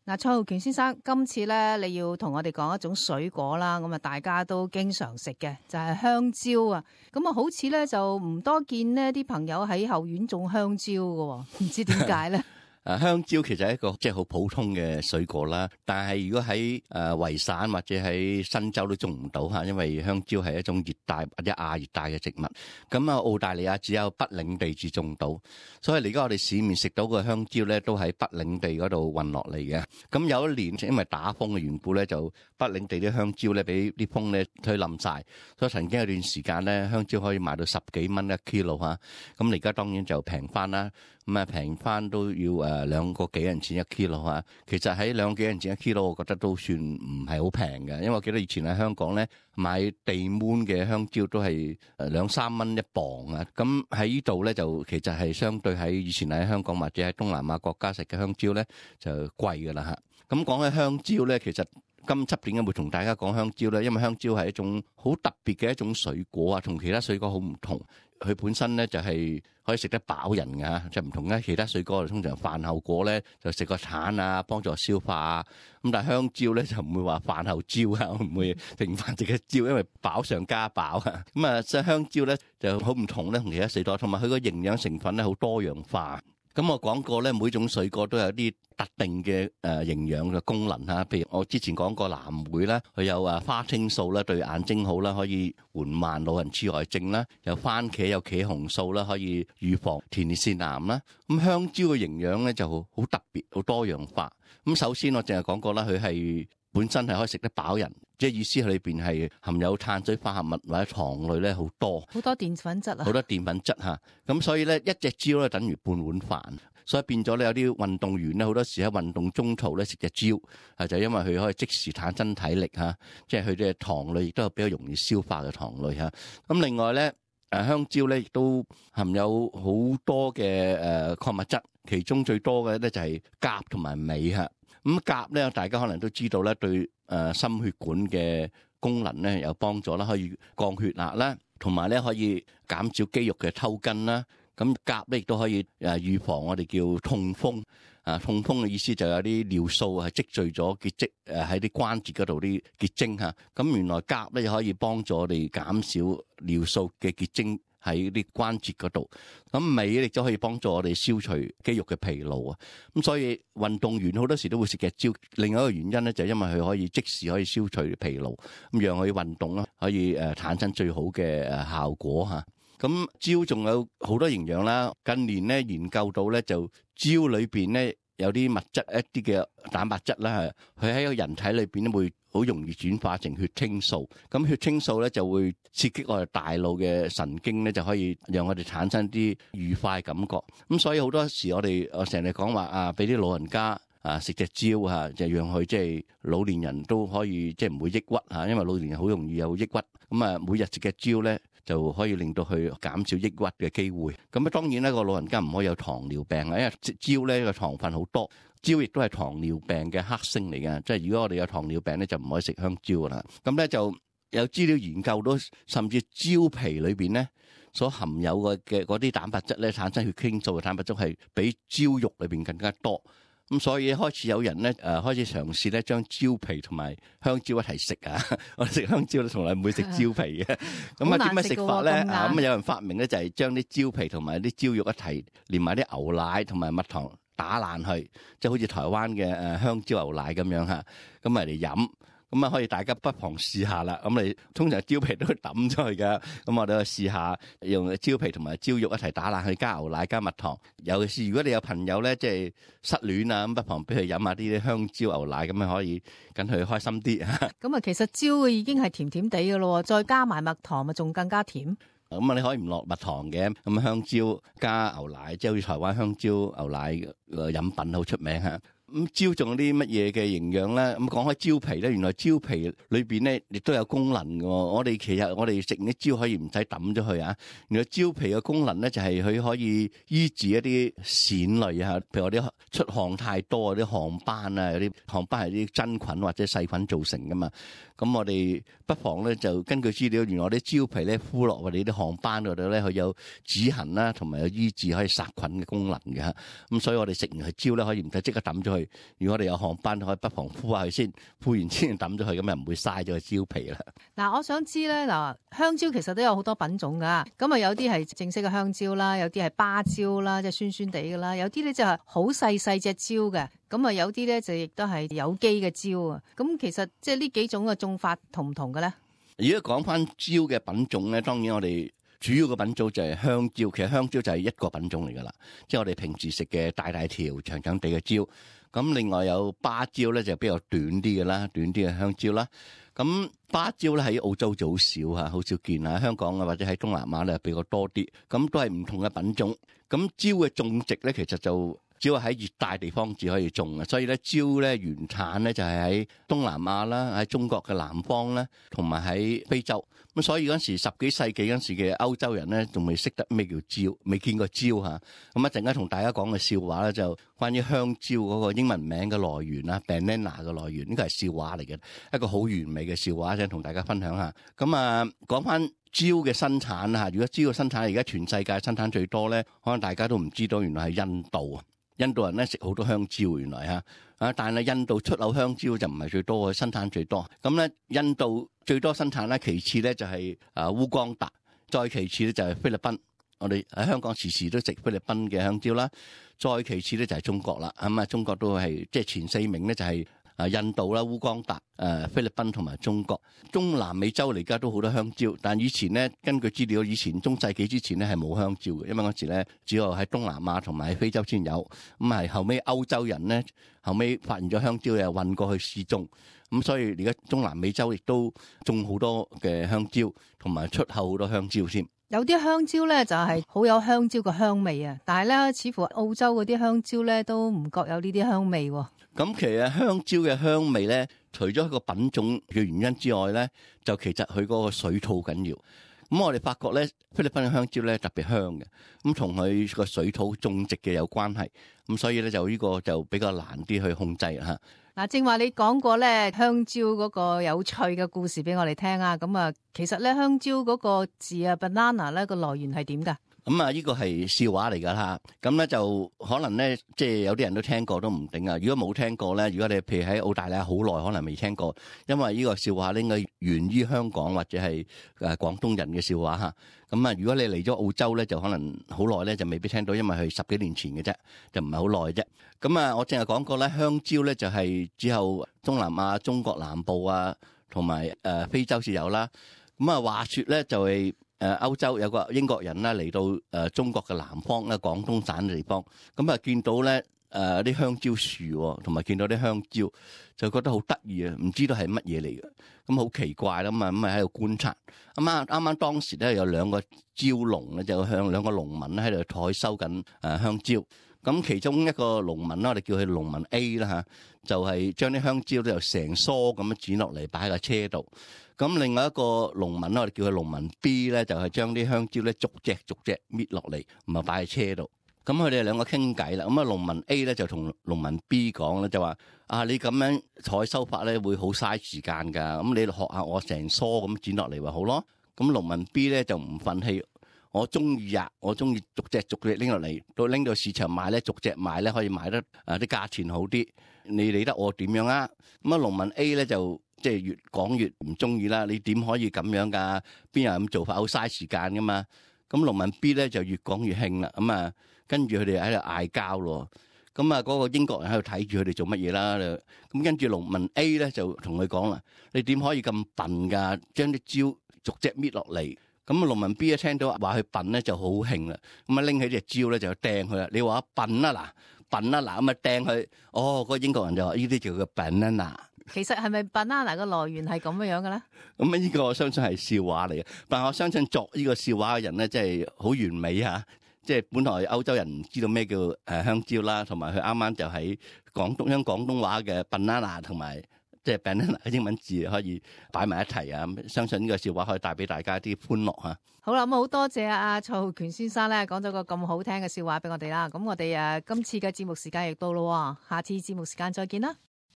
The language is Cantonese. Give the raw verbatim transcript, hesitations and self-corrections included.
嗱，蔡浩權先生，今次咧你要同我哋講一種水果啦，咁啊大家都經常食嘅就係、是、香蕉啊，咁啊好似咧就唔多見呢啲朋友喺後院種香蕉嘅，唔知點解咧？誒香蕉其實係一個即係好普通嘅水果啦，但係如果喺誒維省或者喺新州都種唔到嚇，因為香蕉係一種熱帶或者亞熱帶嘅植物。咁啊，澳大利亞只有北領地至種到，所以而家我哋市面食到嘅香蕉咧，都喺北領地嗰度運落嚟嘅。咁有一年因為打風嘅緣故咧，就北領地啲香蕉咧俾啲風咧推冧晒，所以曾經有段時間咧香蕉可以賣到十幾蚊一 kilo 嚇。咁而家當然就平翻啦，咁啊平翻都要誒。誒兩個幾銀錢一 kilo 啊，其實喺兩個幾銀錢一 kilo，我覺得都算唔係好平嘅，因為我記得以前喺香港咧買地滿嘅香蕉都係誒兩三蚊一磅啊，咁喺呢度咧就其實係相對喺以前喺香港或者喺東南亞國家食嘅香蕉咧就貴㗎啦嚇。咁講起香蕉咧，其實今輯點解會同大家講香蕉咧？因為香蕉係一種好特別嘅一種水果啊，同其他水果好唔同。佢本身咧就係可以食得飽人㗎，即係唔同咧其他水果，通常飯後果咧就食個橙啊，幫助消化啊。咁但係香蕉咧就唔會話飯後蕉啊，唔會停飯食嘅蕉，因為飽上加飽啊。咁啊，即係香蕉咧就好唔同咧，同其他水果，同埋佢個營養成分咧好多樣化。咁我講過咧，每種水果都有啲特定嘅誒營養嘅功能嚇，譬如我之前講過藍莓啦，佢有啊花青素啦，對眼睛好啦，可以緩慢老人痴呆症啦；有番茄有茄紅素啦，可以預防前列腺癌啦。咁香蕉嘅營養咧就好特別，好多樣化。咁首先我淨係講過啦，佢係本身係可以食得飽人，即係意思係裏邊係含有碳水化合物或者糖類咧好多，好多澱粉質啊，好多澱粉質嚇。咁所以咧一隻蕉咧等於半碗飯，所以變咗咧有啲運動員咧好多時喺運動中途咧食隻蕉，係就因為佢可以即時產生體力嚇，即係佢嘅糖類亦都係比較容易消化嘅糖類嚇。咁另外咧誒香蕉咧亦都含有好多嘅誒礦物質，其中最多嘅咧就係鉀同埋鎂嚇。咁鉀咧，大家可能都知道咧，對誒心血管嘅功能咧有幫助啦，可以降血壓啦，同埋咧可以減少肌肉嘅抽筋啦。咁鉀咧亦都可以誒預防我哋叫痛風啊，痛風嘅意思就有啲尿素係積聚咗結晶誒喺啲關節嗰度啲結晶嚇。咁原來鉀咧可以幫助我哋減少尿素嘅結晶喺啲關節嗰度，咁鎂亦都可以幫助我哋消除肌肉嘅疲勞啊！咁所以運動員好多時都會食隻蕉。另外一個原因咧，就係因為佢可以即時可以消除疲勞，咁讓佢運動啦，可以誒產生最好嘅誒效果嚇。咁蕉仲有好多營養啦。近年咧研究到咧，就蕉裏邊咧有啲物質，一啲嘅蛋白質啦，係佢喺個人體裏邊咧會好容易轉化成血清素，咁血清素咧就會刺激我哋大腦嘅神經咧，就可以讓我哋產生啲愉快感覺。咁所以好多時我哋我成日講話啊，俾啲老人家啊食隻蕉嚇，就讓佢即係老年人都可以即係唔會抑鬱嚇，因為老年人好容易有抑鬱。咁啊，每日食隻蕉咧就可以令到佢減少抑鬱嘅機會。咁啊，當然咧個老人家唔可以有糖尿病啊，因為蕉咧個糖分好多。蕉亦都係糖尿病嘅黑星嚟嘅，即係如果我哋有糖尿病咧，就唔可以食香蕉噶啦。咁咧就有資料研究到，甚至蕉皮裏邊咧所含有嘅嘅嗰啲蛋白質咧，產生血清素嘅蛋白質係比蕉肉裏邊更加多。咁所以開始有人咧誒開始嘗試咧將蕉皮同埋香蕉一齊食啊！我哋食香蕉咧從來唔會食蕉皮嘅。咁啊點樣食法咧？啊咁啊有人發明咧就係將啲蕉皮同埋啲蕉肉一齊連埋啲牛奶同埋蜜糖打爛去，即係好似台灣嘅誒香蕉牛奶咁樣嚇，咁咪嚟飲。咁啊，可以大家不妨試下啦。咁你通常蕉皮都會抌出去㗎，咁我哋去試下用蕉皮同埋蕉肉一齊打爛去，加牛奶加蜜糖。尤其是如果你有朋友咧，即係失戀啊，咁不妨俾佢飲下啲香蕉牛奶，咁樣可以等佢開心啲。咁啊，其實蕉已經係甜甜地㗎咯，再加埋蜜糖咪仲更加甜。咁啊，你可以唔落蜜糖嘅，咁香蕉加牛奶，即係好似台灣香蕉牛奶嘅飲品好出名嚇。咁蕉仲有啲乜嘢嘅營養咧？咁講開蕉皮咧，原來蕉皮裏邊咧亦都有功能嘅。我哋其實我哋食啲蕉可以唔使抌咗佢啊。原來蕉皮嘅功能咧就係佢可以醫治一啲癬類啊，譬如我啲出汗太多啊，啲汗斑啊，有啲汗斑係啲真菌或者細菌造成噶嘛。咁我哋不妨咧就根據資料，原來啲蕉皮咧敷落我哋啲汗斑嗰度咧，佢有止痕啦，同埋有醫治可以殺菌嘅功能嘅。咁所以我哋食完係蕉咧，可以唔使即刻抌咗佢。去。如果我哋有航班，可以不妨敷下佢先，敷完先抌咗佢，咁又唔會嘥咗個蕉皮啦。嗱，我想知咧，嗱，香蕉其實都有好多品種噶，咁啊有啲係正式嘅香蕉啦，有啲係芭蕉啦，即係酸酸地㗎啦，有啲咧就係好細細隻蕉嘅，咁啊有啲咧就亦都係有機嘅蕉啊。咁其實即係呢幾種嘅種法同唔同嘅咧？如果講翻蕉嘅品種咧，當然我哋主要嘅品種就係香蕉。其實香蕉就係一個品種嚟噶啦，即係我哋平時食嘅大大條、長長地嘅蕉。咁另外有芭蕉咧，就比較短啲嘅啦，短啲嘅香蕉啦。咁芭蕉咧喺澳洲就好少嚇，好少見啊。香港啊或者喺東南亞咧比較多啲。咁都係唔同嘅品種。咁蕉嘅種植咧，其實就只係喺熱帶地方至可以種嘅，所以咧蕉咧原產咧就係喺東南亞啦，喺中國嘅南方啦，同埋喺非洲。咁所以嗰陣時十幾世紀嗰陣時嘅歐洲人咧，仲未識得咩叫蕉，未見過蕉嚇。咁一陣間同大家講嘅笑話咧，就關於香蕉嗰個英文名嘅來源啦 ，banana 嘅來源，呢個係笑話嚟嘅，一個好完美嘅笑話，想同大家分享下。咁啊，講翻蕉嘅生產啊，如果蕉嘅生產而家全世界生產最多咧，可能大家都唔知道，原來係印度啊。印度人咧食好多香蕉，原來嚇啊！但係印度出口香蕉就唔係最多，生產最多。咁咧，印度最多生產咧，其次咧就係啊烏干達，再其次咧就係菲律賓。我哋喺香港時時都食菲律賓嘅香蕉啦。再其次咧就係中國啦。咁啊，中國都係即係前四名咧就係啊印度啦、烏干達、誒菲律賓同埋中國。中南美洲嚟而家都好多香蕉，但以前咧根據資料，以前中世紀之前咧係冇香蕉嘅，因為嗰時咧只有喺東南亞同埋喺非洲先有。咁係後尾歐洲人咧後尾發現咗香蕉，又運過去試種，咁所以而家中南美洲亦都種好多嘅香蕉，同埋出口好多香蕉先。有啲香蕉咧就係好有香蕉嘅香味啊，但係咧似乎澳洲嗰啲香蕉咧都唔覺有呢啲香味喎。咁其實香蕉嘅香味咧，除咗一個品種嘅原因之外咧，就其實佢嗰個水土緊要。咁我哋發覺咧，菲律賓嘅香蕉咧特別香嘅，咁同佢個水土種植嘅有關係。咁所以咧就呢個就比較難啲去控制嚇。嗱，正話你講過咧香蕉嗰個有趣嘅故事俾我哋聽啊。咁啊，其實咧香蕉嗰個字啊 banana 咧個來源係點㗎？咁啊，呢個係笑話嚟㗎啦。咁咧就可能咧，即係有啲人都聽過都唔定啊。如果冇聽過咧，如果你譬如喺澳大利亞好耐，可能未聽過，因為呢個笑話咧應該源於香港或者係誒廣東人嘅笑話嚇。咁啊，如果你嚟咗澳洲咧，就可能好耐咧就未必聽到，因為係十幾年前嘅啫，就唔係好耐啫。咁啊，我淨係講過咧，香蕉咧就係之後東南亞、中國南部啊，同埋誒非洲先有啦。咁啊，話説咧就係、是。誒歐洲有個英國人啦嚟到誒中國嘅南方咧，廣東省嘅地方，咁啊見到咧誒啲香蕉樹，同埋見到啲香蕉，就覺得好得意啊！唔知道係乜嘢嚟嘅，咁好奇怪啦嘛，咁啊喺度觀察。咁啊啱啱當時咧有兩個蕉農咧，就向兩個農民咧喺度採收緊誒香蕉。咁其中一個農民啦，我哋叫佢農民 A 啦嚇，就係將啲香蕉咧由成梳咁樣剪落嚟擺喺架車度。咁另外一個農民啦，我哋叫佢農民 B 咧，就係將啲香蕉咧逐隻逐隻搣落嚟，唔係擺喺車度。咁佢哋兩個傾偈啦。咁啊，農民 A 咧就同農民 B 講咧，就話：啊，你咁樣採收法咧會好嘥時間㗎。咁你學下我成梳咁剪落嚟咪好咯。咁農民 B 咧就唔憤氣，我中意呀，我中意逐隻逐隻拎落嚟，到拎到市場賣咧，逐隻賣咧可以賣得啊啲價錢好啲。你理得我點樣啊？咁啊，農民 A 咧就即係越講越唔中意啦。你點可以咁樣㗎？邊有咁做法？好嘥時間㗎嘛。咁農民 B 咧就越講越興啦。咁啊，跟住佢哋喺度嗌交咯。咁啊，嗰個英國人喺度睇住佢哋做乜嘢啦？咁跟住農民 A 咧就同佢講啦：你點可以咁笨㗎？將啲蕉逐隻搣落嚟。咁啊，農民 B 一聽到話佢笨咧就好興啦。咁啊，拎起隻蕉咧就掟佢啦。你話笨啊嗱，笨啊嗱，咁啊掟佢。哦，嗰個英國人就話：呢啲叫做笨啊嗱。其實係咪 banana 嘅來源係咁樣樣嘅咧？咁啊，呢個我相信係笑話嚟嘅。但係我相信作呢個笑話嘅人咧，真係好完美嚇。即係本來歐洲人唔知道咩叫誒香蕉啦，同埋佢啱啱就喺廣東將廣東話嘅 banana 同埋即係 banana 嘅英文字可以擺埋一齊啊！相信呢個笑話可以帶俾大家啲歡樂嚇。好啦，咁好多謝阿蔡浩權先生咧，講咗個咁好聽嘅笑話俾我哋啦。咁我哋誒今次嘅節目時間亦到咯，下次節目時間再見啦。